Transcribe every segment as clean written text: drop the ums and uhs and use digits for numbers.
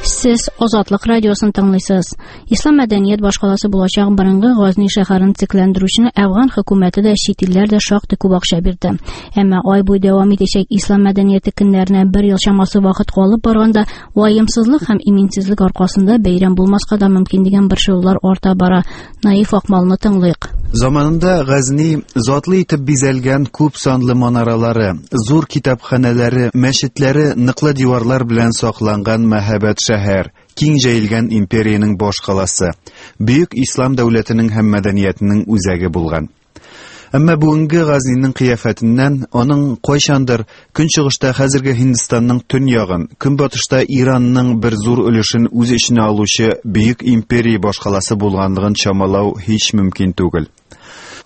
Сез Азатлык радиосын тыңлыйсыз. Ислам мәдәният башкаласы булачак борынгы Газни шәһәрен төзекләндерүчене Әфган хөкүмәте дә, чит илләр дә шактый күп акча бирде. Әмма ай буе дәвам итәчәк ислам мәдәнияте көннәренә бер ел чамасы вакыт калып барганда, ваемсызлык һәм иминсезлек аркасында бәйрәм булмаска да мөмкин дигән борчылулар арта бара. Наиф Акмалны тыңлыйк. Заманында Газни затлы итеп бизәлгән күп санлы манаралары, зур китапханәләре, мәчетләре ныклы диварлар белән сакланган мәһабәт шәһәр, киң җәелгән империянең баш каласы, бөек ислам дәүләтенең һәм мәдәниятенең үзәге булган. Әмма бүгенге Газниның кыяфәтеннән аның кайчандыр көнчыгышта хәзерге Һиндстанның төньягын, көнбатышта Иранның бер зур өлешен үз эченә алучы бөек империя башкаласы булганлыгын чамалау һич мөмкин түгел.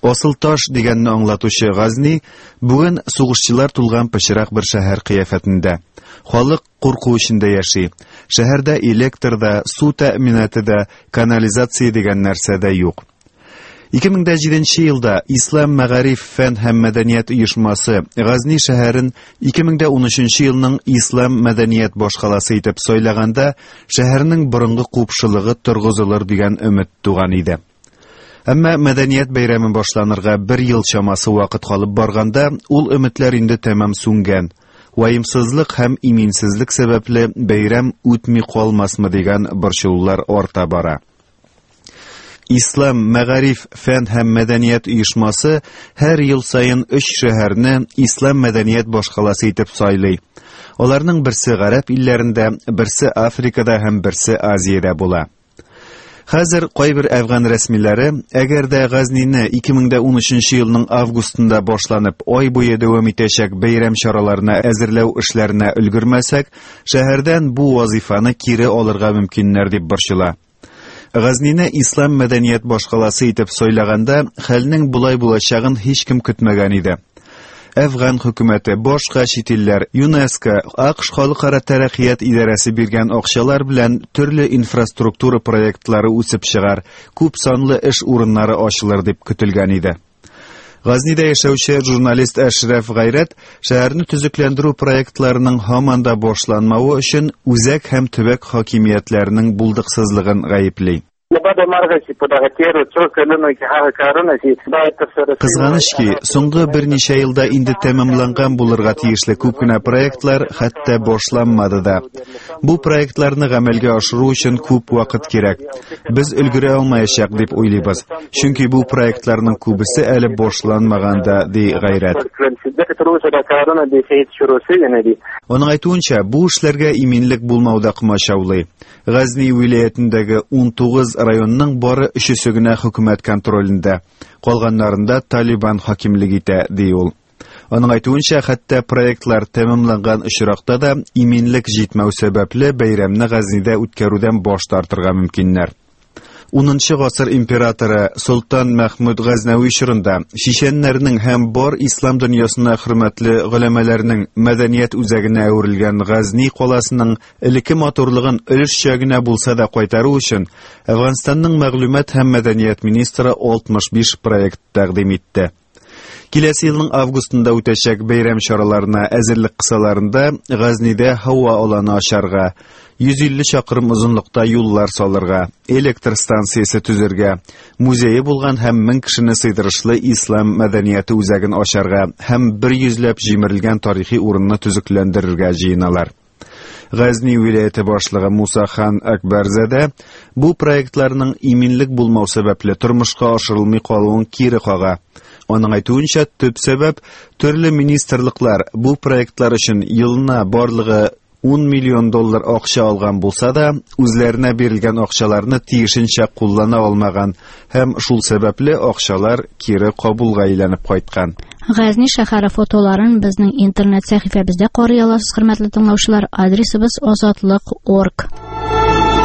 Асыл таш дигәнне аңлатучы Газни бүген сугышчылар тулган пычрак бер шәһәр кыяфәтендә. Халык курку эчендә яши. Шәһәрдә электр да, су тәэминаты да, канализация дигән нәрсә дә юк. 2007 елда Ислам мәгариф, фән һәм мәдәният оешмасы Газни шәһәрен 2013 елның Ислам мәдәният башкаласы итеп сайлаганда, шәһәрнең борынгы купшылыгы торгызылыр дигән өмет туган иде. Әмма мәдәният бәйрәме башланырга бер ел чамасы вакыт калып барганда, ул өметләр инде тәмам сүнгән. Ваемсызлык һәм иминсезлек сәбәпле бәйрәм үтми калмасмы дигән борчылулар арта бара. Ислам мәгариф, фән һәм мәдәният оешмасы һәр ел саен өч шәһәрне ислам мәдәният башкаласы итеп сайлый. Аларның берсе гарәп илләрендә, берсе Африкада һәм берсе Азиядә була. Хәзер кайбер әфган рәсмиләре, әгәр дә Газнине 2013 елның августында башланып, ай буе дәвам итәчәк бәйрәм чараларына әзерләү эшләренә өлгермәсәк, шәһәрдән бу вазифаны кире алырга мөмкиннәр дип борчыла. Газнине ислам мәдәният башкаласы итеп сайлаганда, хәлнең болай булачагын һичкем көтмәгән иде. Әфган хөкүмәте, башка чит илләр, ЮНЕСКО, АКШ халыкара тәрәккыят идарәсе биргән акчалар белән төрле инфраструктура проектлары үсеп чыгар, күп санлы эш урыннары ачылыр дип көтелгән иде. Газнида яшәүче журналист Әшрәф Гайрәт шәһәрне төзекләндерү проектларының һаман да башланмавы өчен үзәк һәм төбәк хакимиятләренең булдыксызлыгын гаепли. له بده مرغه چې په دغه تېرو څو کلونو کې هغه کارونه چې باید ترسره شوي Кызганыч ки, соңгы берничә елда инде тәмамланган булырга тиешле күп кенә проектлар хәтта башланмады да. Бу проектларны гамәлгә ашыру өчен күп вакыт кирәк. Без өлгерә алмаячак дип уйлыйбыз. Чөнки бу проектларның күбесе әле башланмаган да, ди Гайрәт. کړل شي ځکه تر اوسه دا کارونه بیخي هېڅ شروع شوي نه دي. Аның әйтүенчә, бу эшләргә иминлек булмау да комачаулый. Газни вилаятендәге 19 районның бары өчесе генә хөкүмәт контролендә. Калганнарында Талибан хакимлек итә, ди ул. Аның әйтүенчә, хәтта проектлар тәмамланган очракта да иминлек җитмәү сәбәпле бәйрәмне Газнида үткәрүдән баш тартырга мөмкиннәр. 10 гасыр императоры Солтан Мәхмүд Газнәви чорында чеченнәрнең һәм бар ислам дөньясына хөрмәтле голәмәләрнең мәдәният үзәгенә әверелгән Газни каласының элекке матурлыгын өлешчә генә булса да кайтару өчен Әфганстанның мәгълүмат һәм мәдәният министры 65 проект тәкъдим итте. Киләсе елның августында үтәчәк бәйрәм чараларына әзерлек кысаларында Газнидә һава аланы ачарга, 150 чакрым озынлыкта юллар салырга, электр станциясе төзергә, музее булган һәм 1000 кешене сыйдырышлы ислам мәдәнияте үзәген ачарга һәм бер йөзләп җимерелгән тарихи урынны төзекләндерергә җыеналар. Газни вилаяте башлыгы Муса хан Акбарзадә бу проектларның иминлек булмау сәбәпле тормышка ашырылмый калуын кире кага. Аның әйтүенчә, төп сәбәп төрле министрлыклар бу проектлар өчен елына барлыгы 10 миллион доллар акча алган булса да, үзләренә бирелгән акчаларны тиешенчә куллана алмаган һәм шул сәбәпле акчалар кире Кабулга әйләнеп кайткан. Газни шәһәре фотоларын безнең интернет сәхифәбездә карый аласыз, хөрмәтле тыңлаучылар. Адресыбыз азатлык.орг.